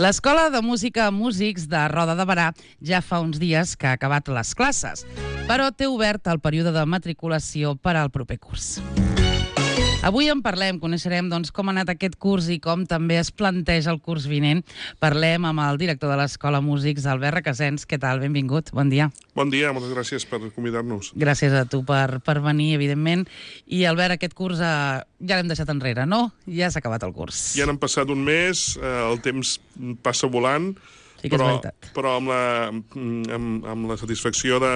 L'Escola de Música Músics de Roda de Berà ja fa uns dies que ha acabat les classes, però té obert el període de matriculació per al proper curs. Avui en parlem, coneixerem com ha anat aquest curs i com també es planteja el curs vinent. Parlem amb el director de l'Escola Músics, Albert Requesens. Què tal? Benvingut, bon dia. Bon dia, moltes gràcies per convidar-nos. Gràcies a tu per venir, evidentment. I Albert, aquest curs ja l'hem deixat enrere, no? Ja s'ha acabat el curs. Ja n'han passat un mes, el temps passa volant, sí que és veritat. Però amb la satisfacció de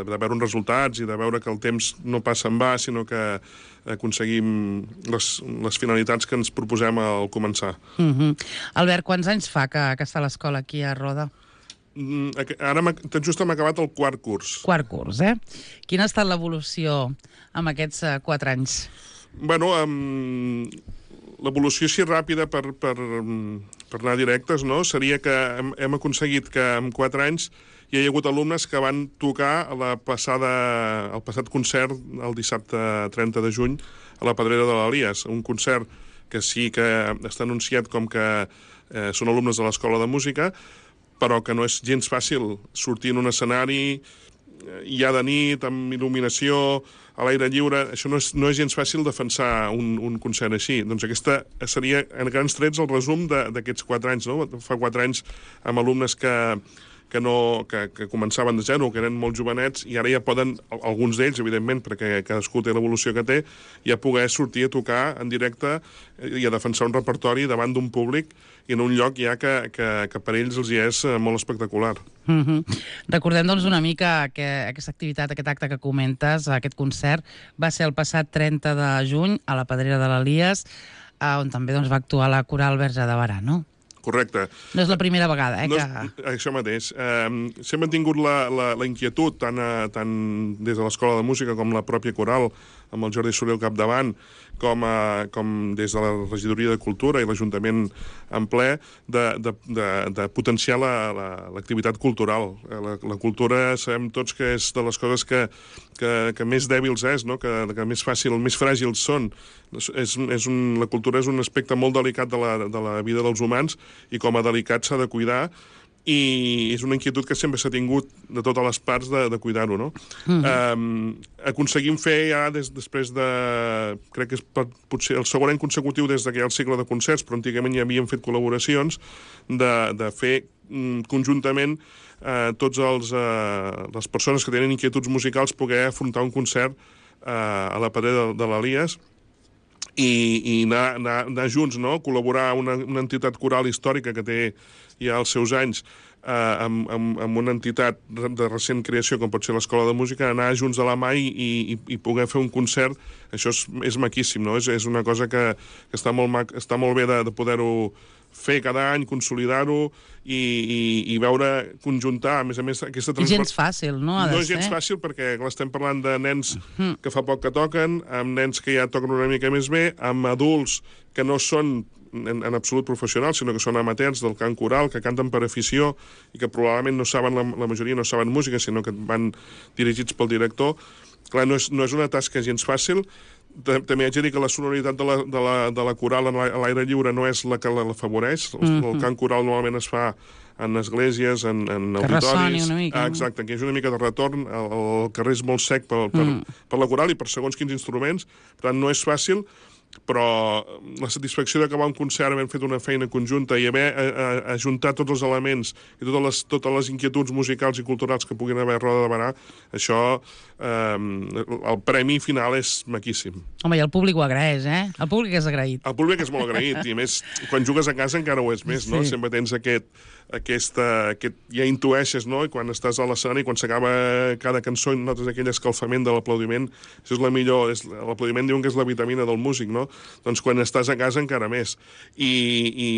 veure uns resultats i de veure que el temps no passa en va, sinó que aconseguim les finalitats que ens proposem al començar. Albert, quants anys fa que està l'escola aquí a Roda? Ara tot just hem acabat el quart curs. Quart curs, eh? Quina ha estat l'evolució en aquests 4 anys? Bueno, l'evolució així ràpida per anar directes, no? Seria que hem aconseguit que en 4 anys hi ha hagut alumnes que van tocar el passat concert el dissabte 30 de juny a la Pedrera de l'Elies, un concert que sí que està anunciat com que són alumnes de l'Escola de Música, però que no és gens fàcil sortir en un escenari ja de nit, amb il·luminació, a l'aire lliure. Això no és gens fàcil defensar un concert així. Doncs aquesta seria, en grans trets, el resum d'aquests 4 anys, no? Fa 4 anys amb alumnes que començaven de zero, que eren molt jovenets, i ara ja poden, alguns d'ells, evidentment, perquè cadascú té l'evolució que té, ja poder sortir a tocar en directe i a defensar un repertori davant d'un públic i en un lloc ja que per ells els hi és molt espectacular. Recordem, una mica que aquesta activitat, aquest acte que comentes, aquest concert, va ser el passat 30 de juny a la Pedrera de l'Elies, on també va actuar la Coral Verge de Berà, no? Correcte. No és la primera vegada, Això mateix. Sempre hem tingut la inquietud, tant des de l'Escola de Música com la pròpia Coral, amb el Jordi Soler al capdavant, com des de la Regidoria de Cultura i l'Ajuntament en ple, de potenciar l'activitat cultural. La cultura sabem tots que és de les coses que més dèbils és, no? que més fràgils són. La cultura és un aspecte molt delicat de la vida dels humans i com a delicat s'ha de cuidar, i és una inquietud que sempre s'ha tingut de totes les parts de cuidar-ho, no? Aconseguim fer ja després de... crec que és potser el segon any consecutiu des que hi ha el cicle de concerts, però antigament ja havíem fet col·laboracions, de fer conjuntament tots les persones que tenen inquietuds musicals poder afrontar un concert a la Pedrera de l'Elies i anar junts, no? Col·laborar una entitat coral històrica que té ja els seus anys amb una entitat de recent creació com pot ser l'Escola de Música, anar junts de la mà i poder fer un concert. Això és maquíssim, no? És una cosa que està molt bé de poder-ho fer cada any, consolidar-ho i veure, conjuntar, a més, aquesta transport... I gens fàcil, no? No és gens fàcil perquè estem parlant de nens que fa poc que toquen, amb nens que ja toquen una mica més bé, amb adults que no són en absolut professionals, sinó que són amateurs del cant coral, que canten per afició i que probablement no saben, la majoria no saben música, sinó que van dirigits pel director. Clar, no és una tasca gens fàcil. També haig de dir que la sonoritat de la coral a l'aire lliure no és la que l'afavoreix. El cant coral normalment es fa en esglésies, en auditoris... Que ressoni una mica. Exacte, que és una mica de retorn. El carrer és molt sec per la coral i per segons quins instruments. Per tant, no és fàcil, però la satisfacció d'acabar un concert havent fet una feina conjunta i haver ajuntat tots els elements i totes les inquietuds musicals i culturals que puguin haver a Roda de Berà, això, el premi final és maquíssim. Home, i el públic ho agraeix, eh? El públic és agraït. El públic és molt agraït, i a més, quan jugues a casa encara ho és més, no? Sempre tens ja intueixes, no? I quan estàs a l'escenari, quan s'acaba cada cançó i notes aquell escalfament de l'aplaudiment, això és la millor, l'aplaudiment diuen que és la vitamina del músic, no? Doncs quan estàs a casa encara més. I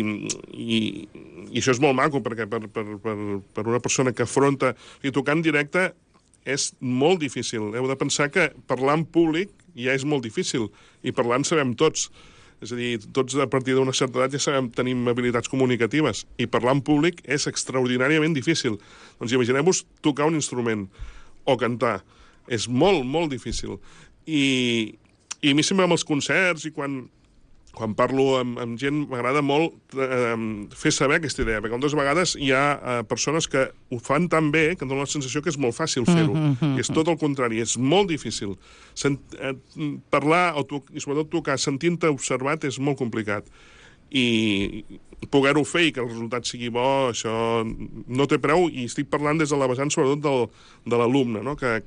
això és molt maco, perquè per una persona que afronta... I tocar en directe és molt difícil. Heu de pensar que parlar en públic ja és molt difícil, i parlar en sabem tots. És a dir, tots a partir d'una certa edat ja tenim habilitats comunicatives, i parlar en públic és extraordinàriament difícil. Doncs imagineu-vos tocar un instrument o cantar. És molt, molt difícil. I a mi sempre amb els concerts i quan quan parlo amb gent, m'agrada molt fer saber aquesta idea, perquè moltes vegades hi ha persones que ho fan tan bé que em donen la sensació que és molt fàcil fer-ho. I és tot el contrari, és molt difícil. Parlar, i sobretot tocar, sentint-te observat, és molt complicat. I poder-ho fer i que el resultat sigui bo, això no té preu, i estic parlant des de la vessant sobretot de l'alumne, no? Que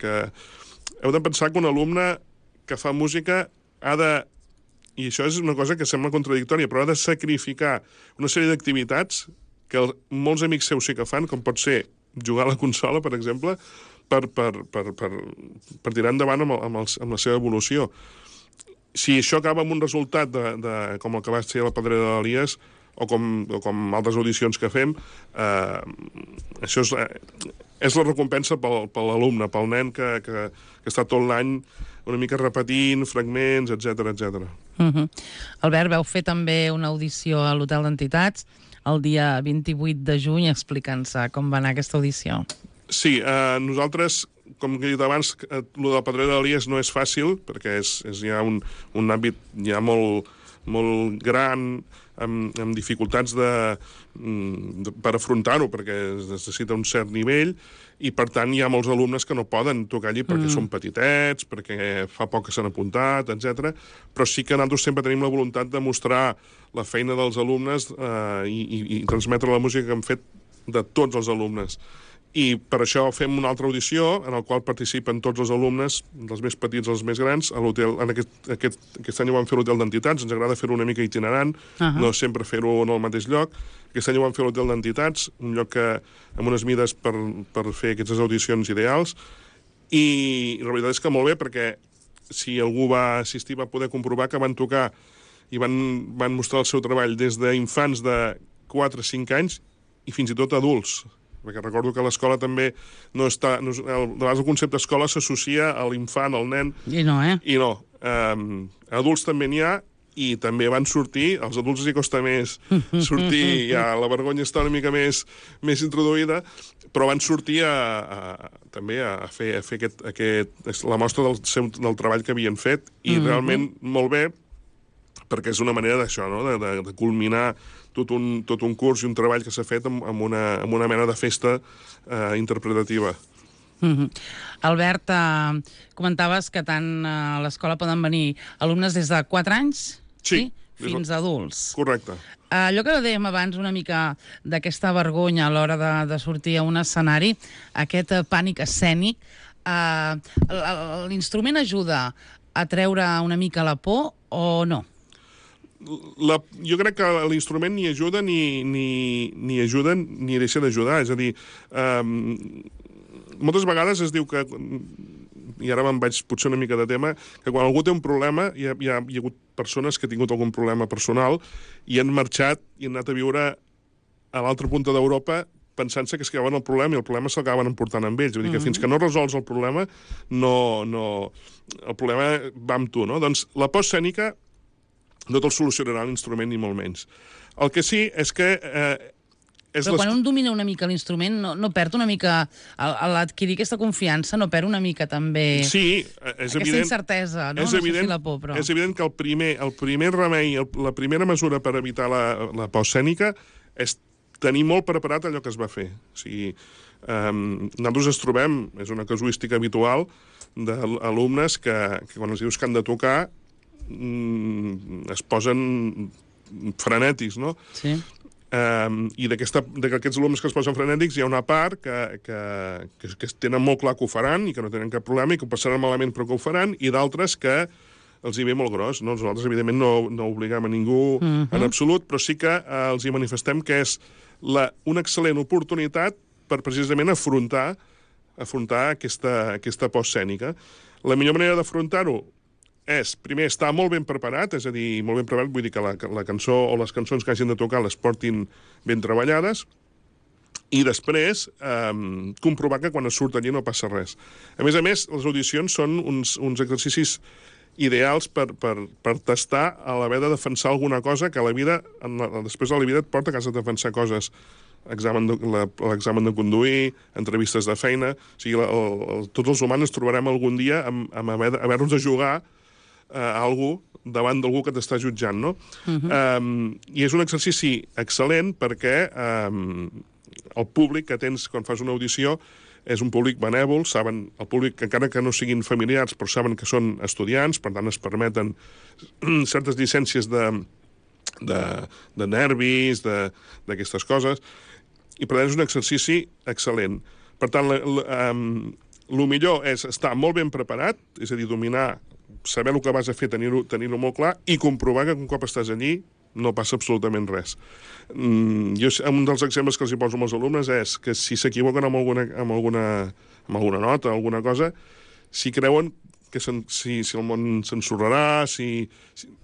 heu de pensar que un alumne que fa música ha de, i això és una cosa que sembla contradictòria, però ha de sacrificar una sèrie d'activitats que molts amics seus sí que fan, com pot ser jugar a la consola, per exemple, per tirar endavant amb la seva evolució. Si això acaba amb un resultat com el que va ser la Pedrera d'Elies, o com altres audicions que fem, això és la recompensa per l'alumne, pel nen que està tot l'any una mica repetint fragments, etc. Albert, vau fer també una audició a l'Hotel d'Entitats el dia 28 de juny. Explica'ns com va anar aquesta audició. Sí, nosaltres, com he dit abans, el de la Pedrera d'Elies no és fàcil, perquè hi ha un àmbit ja molt gran, amb dificultats per afrontar-ho, perquè es necessita un cert nivell, i per tant hi ha molts alumnes que no poden tocar allí perquè són petitets, perquè fa poc que s'han apuntat, etc. Però sí que nosaltres sempre tenim la voluntat de mostrar la feina dels alumnes i transmetre la música que hem fet de tots els alumnes. I per això fem una altra audició en la qual participen tots els alumnes, dels més petits als més grans, a l'hotel. Aquest any ho vam fer a l'Hotel d'Entitats, ens agrada fer-ho una mica itinerant, no sempre fer-ho en el mateix lloc. Aquest any ho vam fer a l'Hotel d'Entitats, un lloc amb unes mides per fer aquestes audicions ideals, i la veritat és que molt bé, perquè si algú va assistir va poder comprovar que van tocar i van mostrar el seu treball des d'infants de 4 a 5 anys i fins i tot adults. Perquè recordo que l'escola també no està... De vegades el concepte escola s'associa a l'infant, al nen... I no, eh? I no. Adults també n'hi ha, i també van sortir, als adults els costa més sortir, ja la vergonya està una mica més introduïda, però van sortir també a fer la mostra del treball que havien fet, i realment molt bé, perquè és una manera d'això, no? De culminar tot un curs i un treball que s'ha fet amb una mena de festa interpretativa. Albert, comentaves que tant a l'escola poden venir alumnes des de 4 anys fins a adults. Correcte. Allò que dèiem abans una mica d'aquesta vergonya a l'hora de sortir a un escenari, aquest pànic escènic, l'instrument ajuda a treure una mica la por o no? Jo crec que l'instrument ni ajuda ni ajuda ni deixa d'ajudar. És a dir, moltes vegades es diu que, i ara me'n vaig potser una mica de tema, que quan algú té un problema, hi ha hagut persones que han tingut algun problema personal i han marxat i han anat a viure a l'altra punta d'Europa pensant-se que es quedaven el problema, i el problema s'acaben emportant amb ells. Vull dir que fins que no resols el problema, el problema va amb tu, no? Doncs la por escènica no te'l solucionarà l'instrument, ni molt menys. El que sí és que... Però quan un domina una mica l'instrument, no perd una mica, a l'adquirir aquesta confiança, no perd una mica també... Sí, és evident. Aquesta incertesa, no? És evident, no sé si la por, però... És evident que el primer remei, la primera mesura per evitar la por escènica és tenir molt preparat allò que es va fer. O sigui, nosaltres ens trobem, és una casuística habitual, d'alumnes que quan els dius que han de tocar es posen frenètics, no? Sí. I d'aquests alumnes que es posen frenètics hi ha una part que tenen molt clar que ho faran i que no tenen cap problema i que ho passaran malament però que ho faran, i d'altres que els hi ve molt gros, no? Nosaltres, evidentment, no obligam a ningú en absolut, però sí que els hi manifestem que és una excel·lent oportunitat per precisament afrontar aquesta por escènica. La millor manera d'afrontar-ho és, primer, estar molt ben preparat, és a dir, molt ben preparat, vull dir que la cançó o les cançons que hagin de tocar les portin ben treballades, i després comprovar que quan es surt allí no passa res. A més, les audicions són uns exercicis ideals per tastar a l'haver de defensar alguna cosa que a la vida, després de la vida et porta a casa a defensar coses. L'examen de conduir, entrevistes de feina... O sigui, tots els humans ens trobarem algun dia amb haver-nos de jugar a algú davant d'algú que t'està jutjant, no? I és un exercici excel·lent perquè el públic que tens quan fas una audició és un públic benèvol, saben, el públic, encara que no siguin familiars, però saben que són estudiants, per tant es permeten certes llicències de nervis, d'aquestes coses, i per tant és un exercici excel·lent. Per tant, el millor és estar molt ben preparat, és a dir, dominar, saber el que vas a fer, tenir-ho molt clar, i comprovar que un cop estàs allí no passa absolutament res. Un dels exemples que els hi poso als alumnes és que si s'equivoquen amb alguna nota, alguna cosa, si creuen que si el món s'ensorrarà,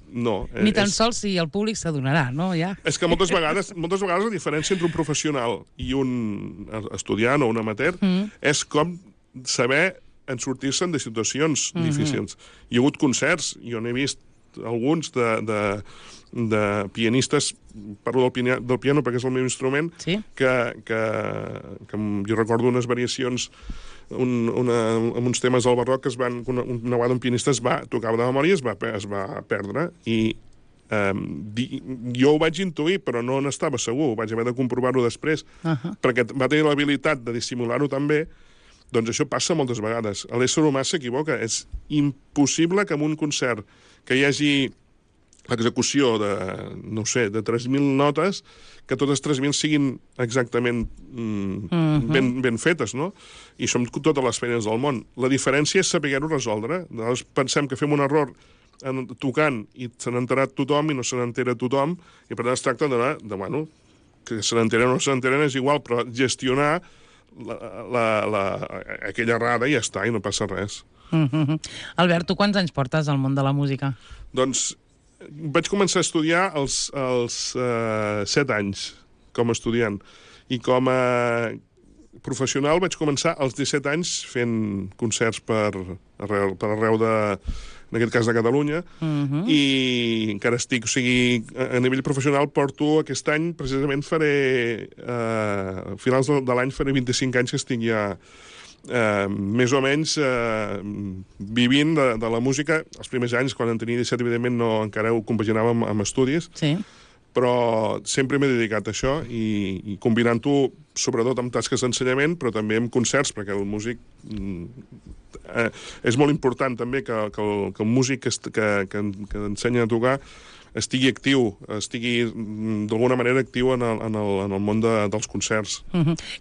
no. Ni tan sols si el públic s'adonarà, no? Ja. És que moltes vegades la diferència entre un professional i un estudiant o un amateur és com saber en sortir-se'n de situacions difícils. Hi ha hagut concerts, jo n'he vist alguns de pianistes, parlo del piano perquè és el meu instrument, que jo recordo unes variacions amb uns temes del barroc que una vegada un pianista tocava de memòria i es va perdre, i jo ho vaig intuir, però no n'estava segur, vaig haver de comprovar-ho després, perquè va tenir l'habilitat de dissimular-ho també. Doncs això passa moltes vegades. L'ésser humà s'equivoca. És impossible que en un concert que hi hagi l'execució de, no sé, de 3.000 notes, que totes 3.000 siguin exactament ben fetes, no? I som totes les feines del món. La diferència és saber-ho resoldre. Llavors pensem que fem un error tocant i se n'ha enterat tothom i no se n'entera tothom, i per tant es tracta bueno, que se n'enteren o no se n'enteren és igual, però gestionar aquella errada i ja està, i no passa res. Albert, tu quants anys portes al món de la música? Doncs vaig començar a estudiar als 7 anys, com a estudiant. I com a professional vaig començar als 17 anys fent concerts per arreu en aquest cas de Catalunya, i encara estic, o sigui, a nivell professional porto aquest any, precisament faré, a finals de l'any faré 25 anys que estic ja més o menys vivint de la música. Els primers anys, quan en tenia 17, evidentment encara ho compaginava amb estudis, però sempre m'he dedicat a això, i combinant-ho sobretot amb tasques d'ensenyament, però també amb concerts, perquè el músic és molt important també que el músic que ensenya a tocar estigui actiu, estigui d'alguna manera actiu en el món dels concerts.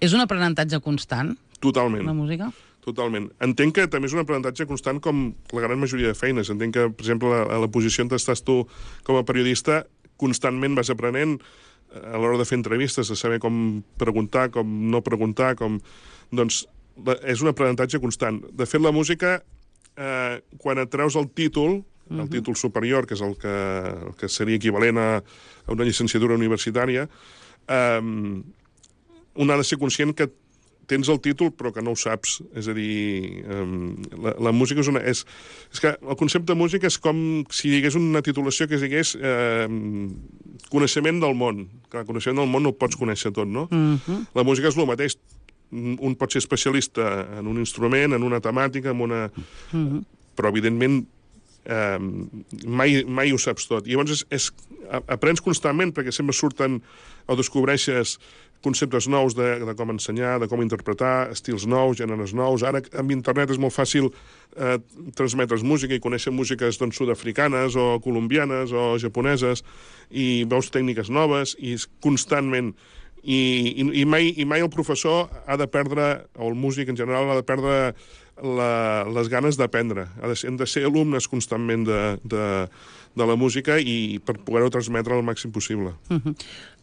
És un aprenentatge constant? Totalment. La música? Totalment. Entenc que també és un aprenentatge constant com la gran majoria de feines. Entenc que, per exemple, a la posició on estàs tu com a periodista, constantment vas aprenent a l'hora de fer entrevistes, de saber com preguntar, com no preguntar, doncs és un aprenentatge constant. De fet, la música, quan et treus el títol superior, que és el que seria equivalent a una llicenciatura universitària, un ha de ser conscient que tens el títol però que no ho saps. És a dir, la música és que el concepte de música és com si digués una titulació que es digués coneixement del món. Clar, coneixement del món no ho pots conèixer tot, no? La música és el mateix. Un pot ser especialista en un instrument, en una temàtica, però evidentment mai ho saps tot. I llavors aprens constantment, perquè sempre surten o descobreixes conceptes nous de com ensenyar, de com interpretar, estils nous, gèneres nous. Ara amb internet és molt fàcil transmetre's música i conèixer músiques sud-africanes o colombianes o japoneses, i veus tècniques noves, i constantment. I mai el professor ha de perdre, o el músic en general ha de perdre les ganes d'aprendre. Hem de ser alumnes constantment de la música i per poder-ho transmetre al màxim possible.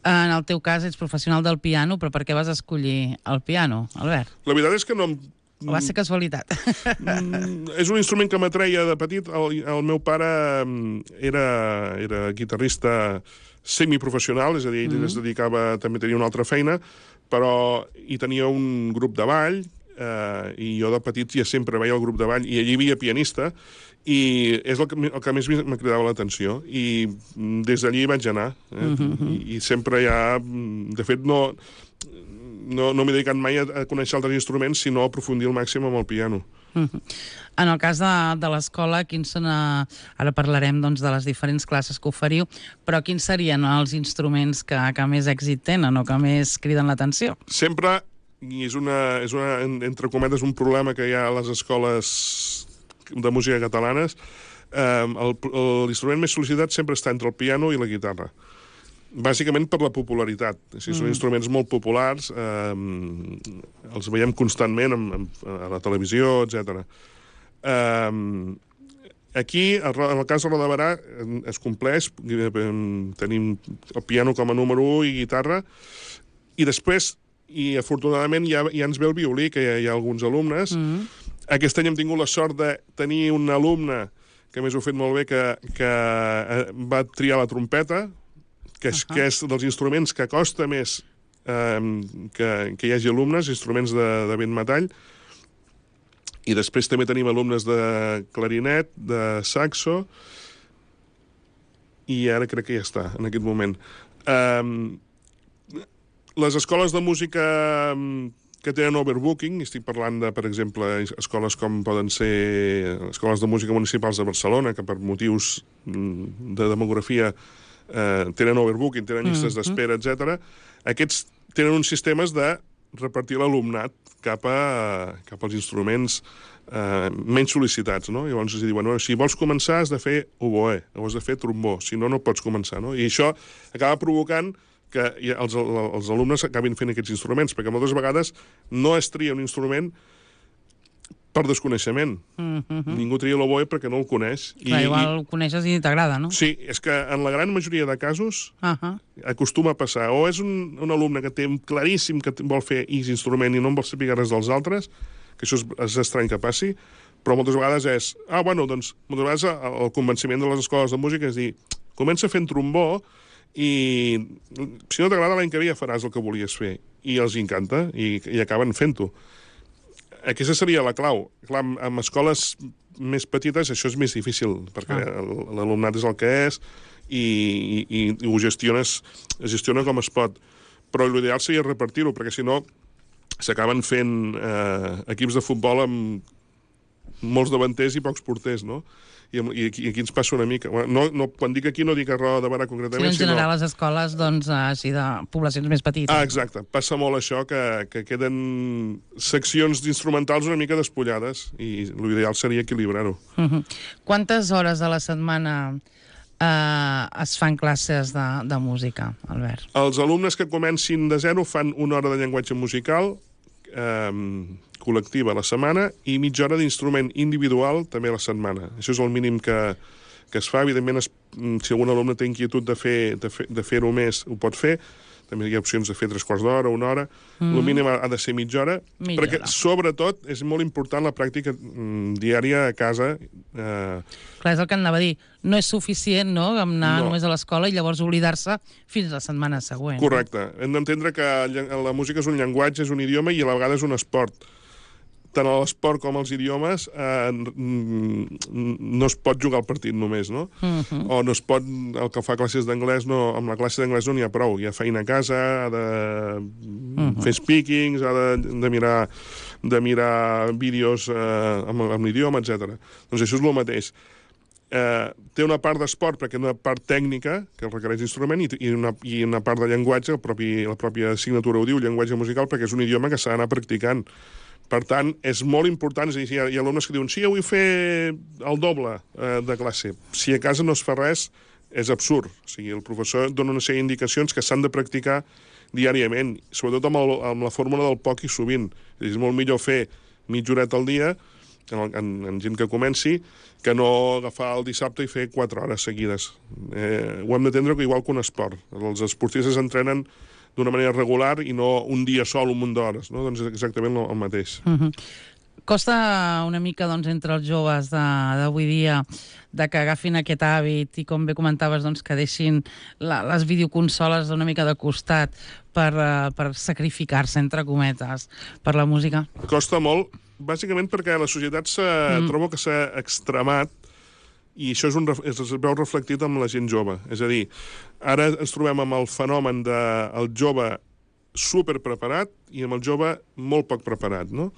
En el teu cas ets professional del piano, però per què vas escollir el piano, Albert? La veritat és que no... O va ser casualitat? És un instrument que m'atreia de petit. El meu pare era guitarrista semiprofessional, és a dir, ell es dedicava, també tenia una altra feina, però hi tenia un grup de ball, i jo de petit ja sempre veia el grup de ball, i allí hi havia pianista, i és el que més m'ha cridat l'atenció, i des d'allí vaig anar. I sempre ja... De fet, no m'he dedicat mai a conèixer altres instruments, sinó a aprofundir al màxim amb el piano. En el cas de l'escola, quins són, ara parlarem doncs, de les diferents classes que oferiu, però quins serien els instruments que més èxit tenen o que més criden l'atenció? Sempre, i és entre cometes, un problema que hi ha a les escoles de música catalanes, l'instrument més sol·licitat sempre està entre el piano i la guitarra. Bàsicament per la popularitat. Són instruments molt populars, els veiem constantment a la televisió, etc. Aquí, en el cas de Roda de Berà, es compleix, tenim el piano com a número 1 i guitarra, i després, i afortunadament, ja ens ve el violí, que hi ha alguns alumnes. Aquest any hem tingut la sort de tenir un alumne, que a més ho ha fet molt bé, que va triar la trompeta, que és dels instruments que costa més que hi hagi alumnes, instruments de vent metall, i després també tenim alumnes de clarinet, de saxo, i ara crec que ja està, en aquest moment. Les escoles de música que tenen overbooking, estic parlant de, per exemple, escoles com poden ser escoles de música municipals de Barcelona, que per motius de demografia tenen overbooking, tenen llistes d'espera, etc. Aquests tenen uns sistemes de repartir l'alumnat cap als instruments menys sol·licitats, no? Llavors es diuen, si vols començar has de fer oboè, o has de fer trombó, si no, no pots començar, no? I això acaba provocant que els alumnes acabin fent aquests instruments, perquè moltes vegades no es tria un instrument per desconeixement. Ningú tria l'oboè perquè no el coneix. Clar, igual ho coneixes i t'agrada, no? Sí, és que en la gran majoria de casos acostuma a passar. O és un alumne que té claríssim que vol fer X instrument i no en vol saber res dels altres, que això és estrany que passi, però moltes vegades és... doncs, moltes vegades el convenciment de les escoles de música és dir, comença fent trombó i si no t'agrada l'any que ve ja faràs el que volies fer. I els encanta i acaben fent-ho. Aquesta seria la clau. Clar, amb escoles més petites això és més difícil, perquè l'alumnat és el que és i ho es gestiona com es pot. Però l'ideal seria repartir-ho, perquè si no s'acaben fent equips de futbol amb molts davanters i pocs porters, no? I aquí ens passa una mica. Quan dic aquí no dic a Roda de Berà concretament, sinó en general les escoles així de poblacions més petites. Exacte. Passa molt això, que queden seccions d'instrumentals una mica despullades i l'ideal seria equilibrar-ho. Quantes hores a la setmana es fan classes de música, Albert? Els alumnes que comencin de zero fan una hora de llenguatge musical col·lectiva a la setmana i mitja hora d'instrument individual també a la setmana. Això és el mínim que es fa. Evidentment, si algun alumne té inquietud de fer-ho més, ho pot fer. També hi ha opcions de fer 3/4 d'hora, 1 hora. El mínim ha de ser mitja hora, perquè, sobretot, és molt important la pràctica diària a casa. Clar, és el que anava a dir. No és suficient, no?, anar només a l'escola i llavors oblidar-se fins a la setmana següent. Correcte. Hem d'entendre que la música és un llenguatge, és un idioma i a la vegada és un esport. Tant l'esport com els idiomes no es pot jugar al partit només, no? O no es pot... El que fa classes d'anglès, amb la classe d'anglès no n'hi ha prou. Hi ha feina a casa, ha de fer speakings, ha de mirar vídeos amb l'idioma, etc. Doncs això és el mateix. Té una part d'esport perquè una part tècnica que requereix instrument i una part de llenguatge, la pròpia assignatura ho diu, llenguatge musical, perquè és un idioma que s'ha d'anar practicant. Per tant, és molt important, és a dir, hi ha alumnes que diuen sí, vull fer el doble de classe. Si a casa no es fa res, és absurd. O sigui, el professor dona una sèrie d'indicacions que s'han de practicar diàriament, sobretot amb la fórmula del poc i sovint. És molt millor fer mitja horeta al dia, en gent que comenci, que no agafar el dissabte i fer 4 hores seguides. Ho hem d'entendre igual que un esport. Els esportistes entrenen d'una manera regular i no un dia sol, un munt d'hores, no? Doncs és exactament el mateix. Costa una mica, doncs, entre els joves d'avui dia de que agafin aquest hàbit i, com bé comentaves, doncs, que deixin les videoconsoles una mica de costat per sacrificar-se, entre cometes, per la música? Costa molt, bàsicament perquè la societat trobo que s'ha extremat i això es veu reflectit amb la gent jove. És a dir, ara ens trobem amb el fenomen del jove super preparat i amb el jove molt poc preparat, no?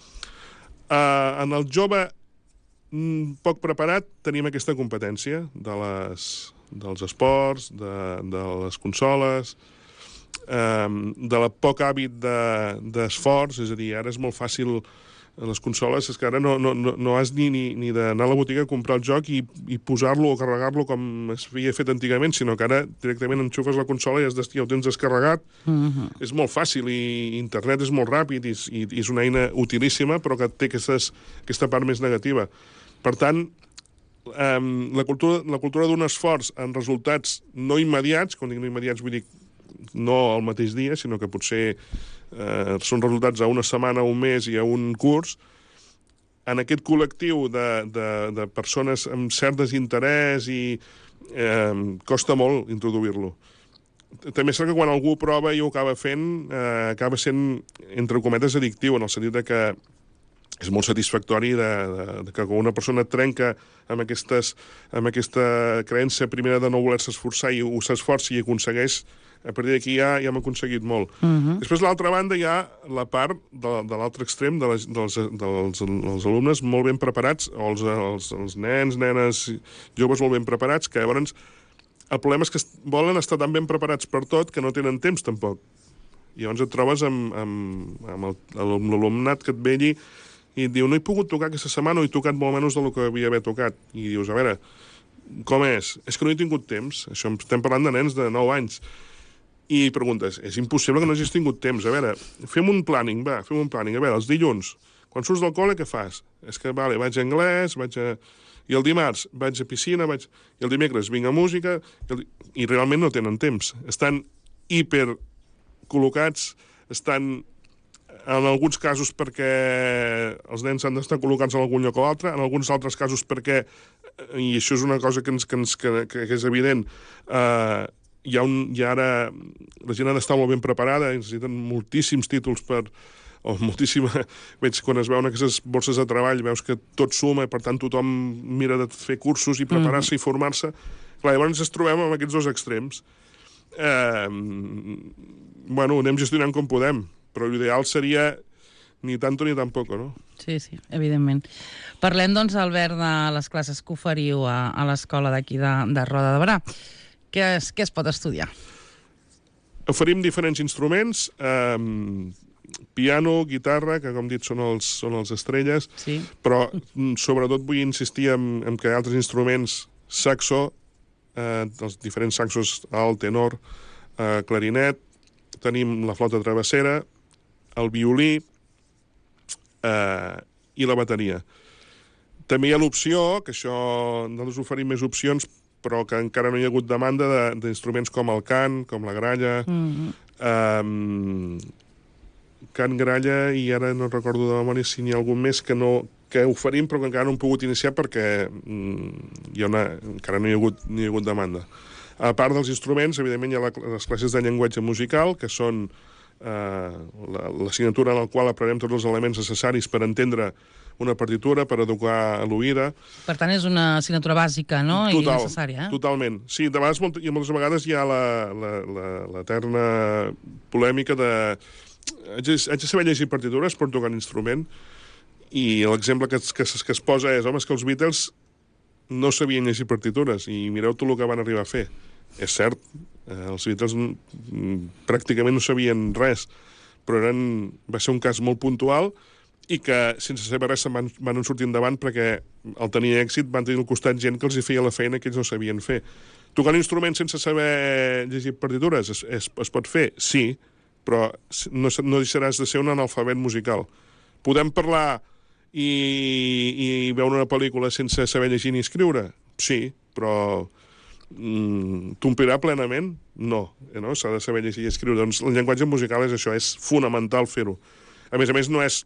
En el jove poc preparat tenim aquesta competència dels esports, de les consoles, de la poc hàbit d'esforç, és a dir, ara és molt fàcil les consoles, és que ara no has ni d'anar a la botiga a comprar el joc i posar-lo o carregar-lo com es havia fet antigament, sinó que ara directament enxufes la consola i ja ho tens descarregat. És molt fàcil i internet és molt ràpid i és una eina utilíssima, però que té aquesta part més negativa. Per tant, la cultura d'un esforç en resultats no immediats, quan dic no immediats vull dir no al mateix dia, sinó que potser són resultats a una setmana, a un mes i a un curs, en aquest col·lectiu de persones amb cert desinterès i costa molt introduir-lo. També és cert que quan algú prova i ho acaba fent, acaba sent, entre cometes, addictiu, en el sentit que és molt satisfactori que quan una persona trenca amb aquesta creença primera de no voler-se esforçar i s'esforça i aconsegueix, a partir d'aquí ja hem aconseguit molt. Després, a l'altra banda, hi ha la part de l'altre extrem dels alumnes molt ben preparats, o els nens, nenes, joves molt ben preparats, que llavors el problema és que volen estar tan ben preparats per tot que no tenen temps, tampoc. I llavors et trobes amb l'alumnat que et ve allí i et diu, no he pogut tocar aquesta setmana o he tocat molt menys del que havia d'haver tocat. I dius, a veure, com és? És que no he tingut temps. Això estem parlant de nens de 9 anys. I preguntes, és impossible que no hagis tingut temps. A veure, fem un planning, va, fem un planning. A veure, els dilluns, quan surts del col·le, què fas? És que, vale, vaig a anglès, i el dimarts vaig a piscina, i el dimecres vinc a música, i realment no tenen temps. Estan hiper col·locats, estan en alguns casos perquè els nens han d'estar col·locats en algun lloc o altre, en alguns altres casos perquè, i això és una cosa que és evident, ara la gent ha d'estar molt ben preparada, necessiten moltíssims títols veig quan es veuen aquestes borses de treball, veus que tot suma i per tant tothom mira de fer cursos i preparar-se i formar-se. Clar, llavors ens trobem amb aquests dos extrems. Bueno, anem gestionant com podem, però l'ideal seria ni tanto ni tampoco, no? Sí, evidentment. Parlem, doncs, Albert, de les classes que oferiu a l'escola d'aquí de Roda de Berà. Què es pot estudiar? Oferim diferents instruments, piano, guitarra, que com dit són els estrelles, sí. Però sobretot vull insistir en que altres instruments, saxo, els diferents saxos, alt, tenor, clarinet, tenim la flauta travessera, el violí i la bateria. També hi ha l'opció, que això nosaltres oferim més opcions, però que encara no hi ha hagut demanda d'instruments com el cant, com la gralla, cant, gralla, i ara no recordo de memòria si n'hi ha algun més que oferim però que encara no hem pogut iniciar perquè encara no hi ha hagut demanda. A part dels instruments, evidentment hi ha les classes de llenguatge musical, que són l'assignatura en la qual aprenem tots els elements necessaris per entendre una partitura, per educar l'oïda. Per tant, és una assignatura bàsica, no? I necessària, Totalment. Sí, de vegades, moltes vegades hi ha l'eterna polèmica de haig de saber llegir partitures per tocar un instrument, i l'exemple que es posa és, home, és que els Beatles no sabien llegir partitures, i mireu tot el que van arribar a fer. És cert, els Beatles pràcticament no sabien res, però va ser un cas molt puntual i que sense saber res van sortir endavant perquè al tenir èxit van tenir al costat gent que els hi feia la feina que ells no sabien fer. Tocar un instrument sense saber llegir partitures es pot fer? Sí, però no deixaràs de ser un analfabet musical. Podem parlar i veure una pel·lícula sense saber llegir ni escriure? Sí, però t'omplirà plenament? No, s'ha de saber llegir i escriure. Doncs el llenguatge musical és això, és fonamental fer-ho. A més, no és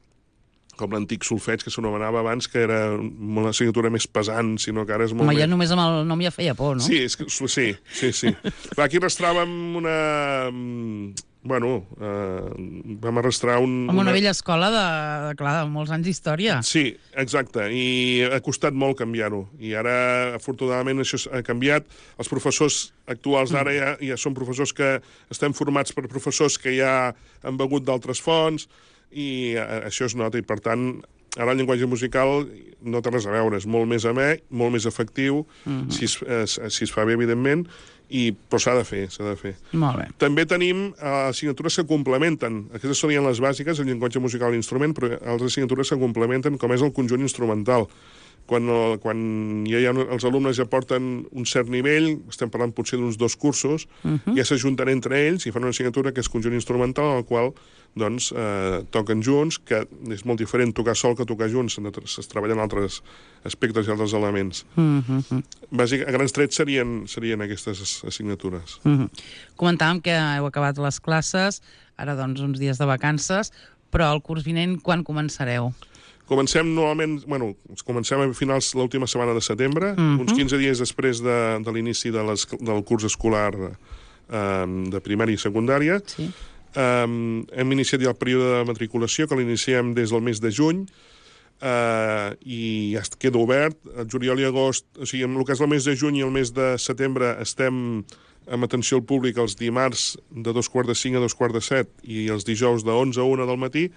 com l'antic solfeig que s'anomenava abans, que era una assignatura més pesant, sinó que ara és molt ja només amb el nom ja feia por, no? Sí. Clar, aquí arrastràvem Bueno, vam arrastrar Amb una vella escola de molts anys d'història. Sí, exacte, i ha costat molt canviar-ho. I ara, afortunadament, això ha canviat. Els professors actuals d'ara ja són professors que estem formats per professors que ja han begut d'altres fonts, i això es nota, i per tant, ara el llenguatge musical no té res a veure, és molt més amè, molt més efectiu, si es fa bé, evidentment, però s'ha de fer. Molt bé. També tenim assignatures que complementen. Aquestes serien les bàsiques, el llenguatge musical i l'instrument, però altres assignatures que complementen, com és el conjunt instrumental. Quan els alumnes ja porten un cert nivell, estem parlant potser d'uns 2 cursos, ja s'ajunten entre ells i fan una assignatura que és conjunt instrumental, en el qual doncs, toquen junts, que és molt diferent tocar sol que tocar junts, es treballen altres aspectes i altres elements. A grans trets serien aquestes assignatures. Comentàvem que heu acabat les classes, ara doncs uns dies de vacances, però el curs vinent quan començareu? Comencem a finals l'última setmana de setembre, uns 15 dies després de l'inici del curs escolar de primària i secundària. Sí. Hem iniciat ja el període de matriculació, que l'iniciem des del mes de juny, i ja queda obert. El juliol i agost, o sigui, en el que és el mes de juny i el mes de setembre estem amb atenció al públic els dimarts de 2:45 a 2:45 i els dijous de 11 a 1 del matí.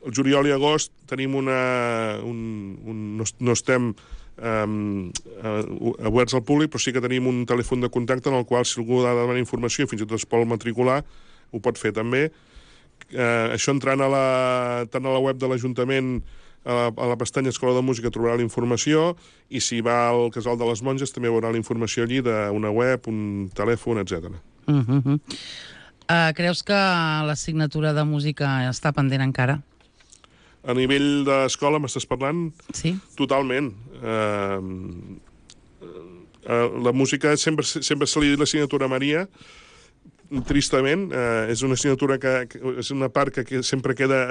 El juliol i agost tenim no estem oberts al públic, però sí que tenim un telèfon de contacte en el qual, si algú ha de demanar informació, fins i tot es pot matricular, ho pot fer també. Això entrant tant a la web de l'Ajuntament, a la pestanya Escola de Música, trobarà la informació, i si va al Casal de les Monges també veurà la informació allí d'una web, un telèfon, etc. Creus que l'assignatura de música està pendent encara? A nivell d'escola m'estàs parlant? Sí. Totalment. La música sempre se li dit l'assignatura Maria, tristament. És una assignatura és una part que sempre queda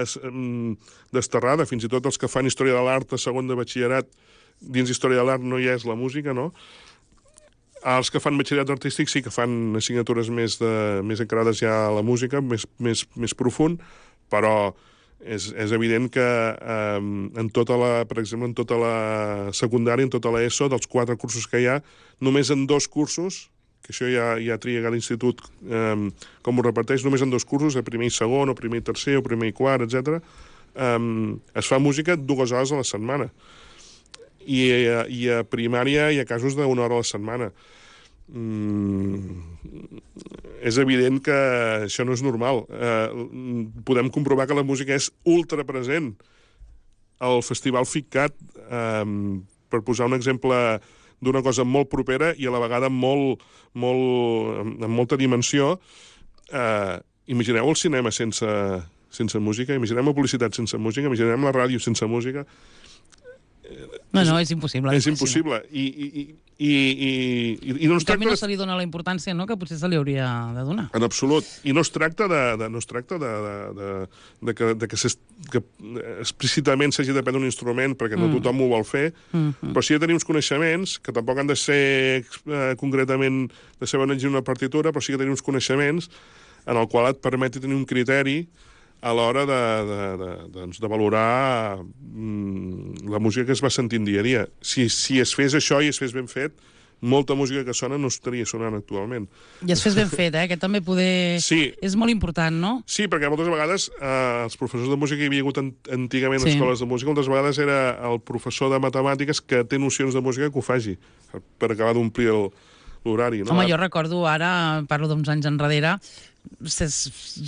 desterrada, fins i tot els que fan Història de l'Art a segon de batxillerat, dins Història de l'Art no hi és la música, no? Els que fan batxillerat artístic sí que fan assignatures més encarades ja a la música, més profund, però és evident que per exemple, en tota la secundària, en tota l'ESO, dels 4 cursos que hi ha, només en 2 cursos, que això ja tria cada institut com ho reparteix, només en 2 cursos, a primer i segon, o primer i tercer, o primer i quart, etc. Es fa música 2 hores a la setmana. I a primària hi ha casos d'1 hora a la setmana. És evident que això no és normal. Podem comprovar que la música és ultra present al Festival FICCAT, per posar un exemple d'una cosa molt propera i a la vegada amb molta dimensió. Imagineu el cinema sense música, imaginem la publicitat sense música, imaginem la ràdio sense música. No, és impossible. És impossible. I no es tracta... no se li dona la importància, no?, que potser se li hauria de donar. En absolut. I no es tracta que explícitament s'hagi de prendre un instrument, perquè no tothom ho vol fer, però sí de tenir uns coneixements, que tampoc han de ser concretament de saber on llegir una partitura, però sí que tenir uns coneixements en el qual et permeti tenir un criteri a l'hora de valorar la música que es va sentint dia a dia. Si es fes això i es fes ben fet, molta música que sona no estaria sonant actualment. I es fes ben fet, que també Sí. és molt important, no? Sí, perquè moltes vegades els professors de música que hi havia hagut antigament a escoles de música, moltes vegades era el professor de matemàtiques que té nocions de música que ho faci, per acabar d'omplir l'horari. No? Home, jo recordo ara, parlo d'uns anys enrere,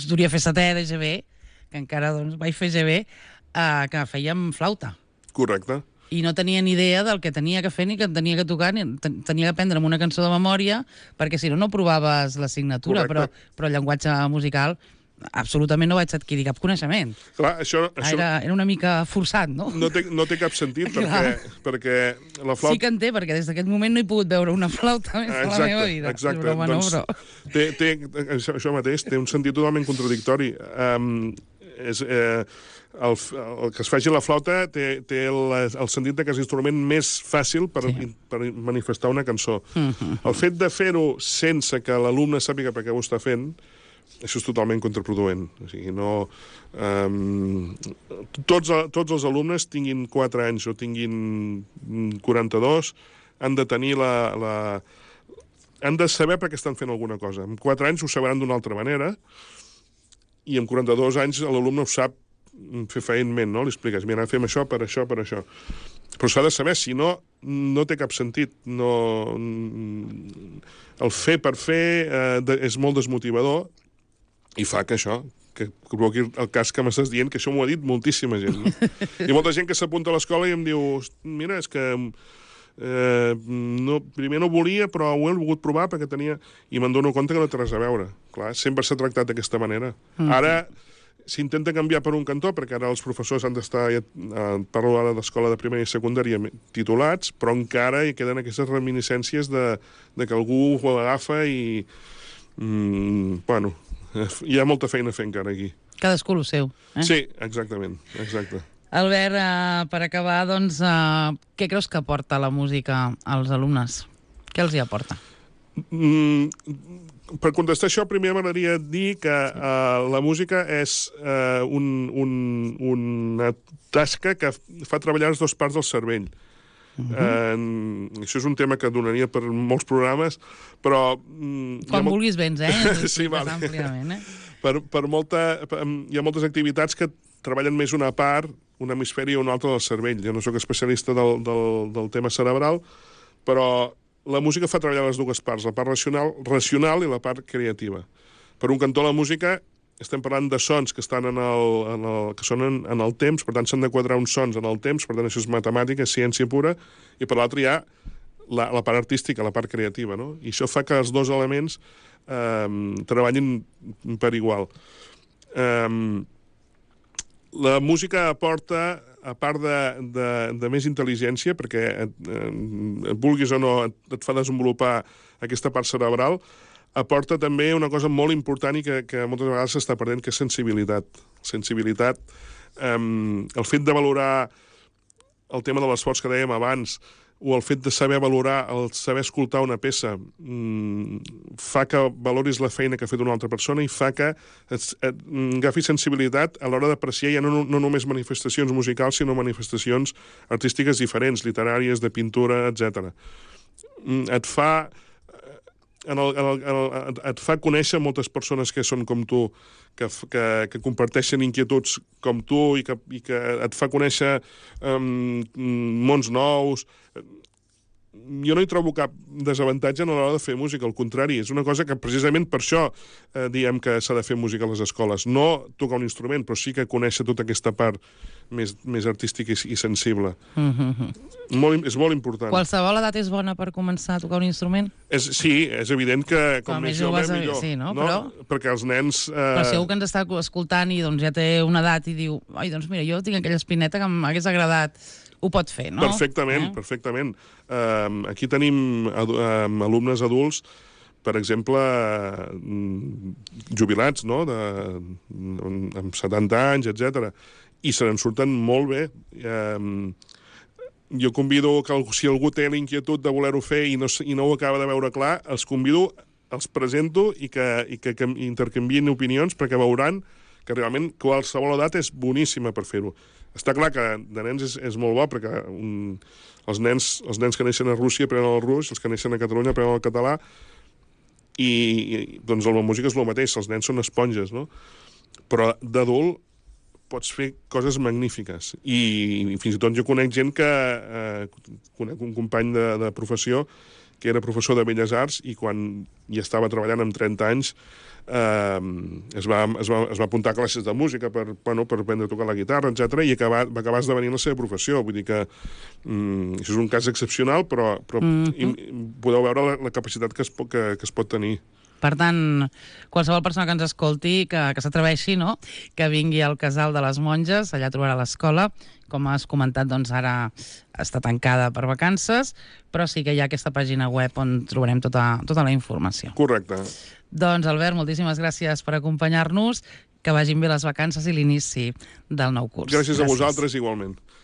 duria fer 7è de GB, que encara vaig fer GB, que fèiem flauta. Correcte. I no tenia ni idea del que tenia que fer ni que tenia que tocar, ni tenia que aprendre'm una cançó de memòria, perquè si no provaves l'assignatura, però el llenguatge musical absolutament no vaig adquirir cap coneixement. Clar, això... Era una mica forçat, no? No té cap sentit, perquè la flauta... Sí que en té, perquè des d'aquest moment no he pogut veure una flauta més a la meva vida. Exacte, això mateix té un sentit totalment contradictori. El que es faci la flauta té el sentit que és l'instrument més fàcil per manifestar una cançó. El fet de fer-ho sense que l'alumne sàpiga per què ho està fent això és totalment contraproduent. O sigui, no... Tots els alumnes, tinguin 4 anys o tinguin 42, han de tenir han de saber per què estan fent alguna cosa. Amb 4 anys ho sabran d'una altra manera, i amb 42 anys l'alumne ho sap fer feïnment, no? Li expliques, mira, fem això, per això, per això. Però s'ha de saber, si no, no té cap sentit. No... El fer per fer és molt desmotivador i fa que això, que provoqui el cas que m'estàs dient, que això m'ho ha dit moltíssima gent. No? Hi ha molta gent que s'apunta a l'escola i em diu, mira, és que primer no volia, però ho he volgut provar perquè tenia... I me'n dono compte que no té res a veure. Clar, sempre s'ha tractat d'aquesta manera. Ara s'intenta canviar per un cantó, perquè ara els professors han d'estar, parlo ara d'escola de primària i secundària, titulats, però encara hi queden aquestes reminiscències de que algú ho agafa i... Bueno, hi ha molta feina a fer encara aquí. Cadascú el seu. Sí, exactament, exacte. Albert, per acabar, doncs, què creus que aporta la música als alumnes? Què els hi aporta? Per contestar això, primer m'agradaria dir que la música és una tasca que fa treballar les dues parts del cervell. Això és un tema que donaria per molts programes, però... Quan vulguis vens, Sí, vale. Àmpliament, hi ha moltes activitats que treballen més una part, un hemisferi o un altre del cervell. Jo no sóc especialista del tema cerebral, però la música fa treballar les dues parts, la part racional i la part creativa. Per un cantó, la música, estem parlant de sons que estan que són en el temps, per tant s'han de quadrar uns sons en el temps, per tant això és matemàtica, és ciència pura, i per l'altre hi ha la part artística, la part creativa, no? I això fa que els dos elements treballin per igual. La música aporta, a part de més intel·ligència, perquè vulguis o no et fa desenvolupar aquesta part cerebral, aporta també una cosa molt important i que moltes vegades s'està perdent, que és sensibilitat. Sensibilitat, el fet de valorar el tema de l'esforç que dèiem abans, o el fet de saber valorar, el saber escoltar una peça, fa que valoris la feina que ha fet una altra persona i fa que agafis sensibilitat a l'hora d'apreciar ja no només manifestacions musicals, sinó manifestacions artístiques diferents, literàries, de pintura, etc. Et fa conèixer moltes persones que són com tu, que comparteixen inquietuds com tu i que et fa conèixer mons nous. Jo no hi trobo cap desavantatge a l'hora de fer música, al contrari, és una cosa que precisament per això diem que s'ha de fer música a les escoles. No tocar un instrument, però sí que conèixer tota aquesta part més artística i sensible. És molt important. Qualsevol edat és bona per començar a tocar un instrument? Sí, és evident que com més jove, millor. Sí, no? Perquè els nens... Però si algú que ens està escoltant i ja té una edat i diu, ai, doncs mira, jo tinc aquella espineta que m'hagués agradat, ho pot fer, no? Perfectament, perfectament. Aquí tenim alumnes adults, per exemple, jubilats, no?, amb 70 anys, etc. I se n'en surten molt bé. Jo convido que si algú té la inquietud de voler-ho fer i no ho acaba de veure clar, els convido, els presento i que intercanvien opinions, perquè veuran que realment qualsevol edat és boníssima per fer-ho. Està clar que de nens és molt bo, perquè els nens que neixen a Rússia aprenen el rus, els que neixen a Catalunya aprenen el català, i doncs la música és el mateix, els nens són esponges, no? Però d'adult pots fer coses magnífiques. I fins i tot jo conec gent conec un company de professió que era professor de Belles Arts i quan ja estava treballant amb 30 anys es va apuntar a classes de música per aprendre a tocar la guitarra, etc. I va acabar esdevenint la seva professió. Vull dir que això és un cas excepcional, però podeu veure la capacitat que es pot tenir. Per tant, qualsevol persona que ens escolti, que s'atreveixi, no?, que vingui al Casal de les Monges, allà trobarà l'escola. Com has comentat, doncs ara està tancada per vacances, però sí que hi ha aquesta pàgina web on trobarem tota la informació. Correcte. Doncs, Albert, moltíssimes gràcies per acompanyar-nos, que vagin bé les vacances i l'inici del nou curs. Gràcies a vosaltres, igualment.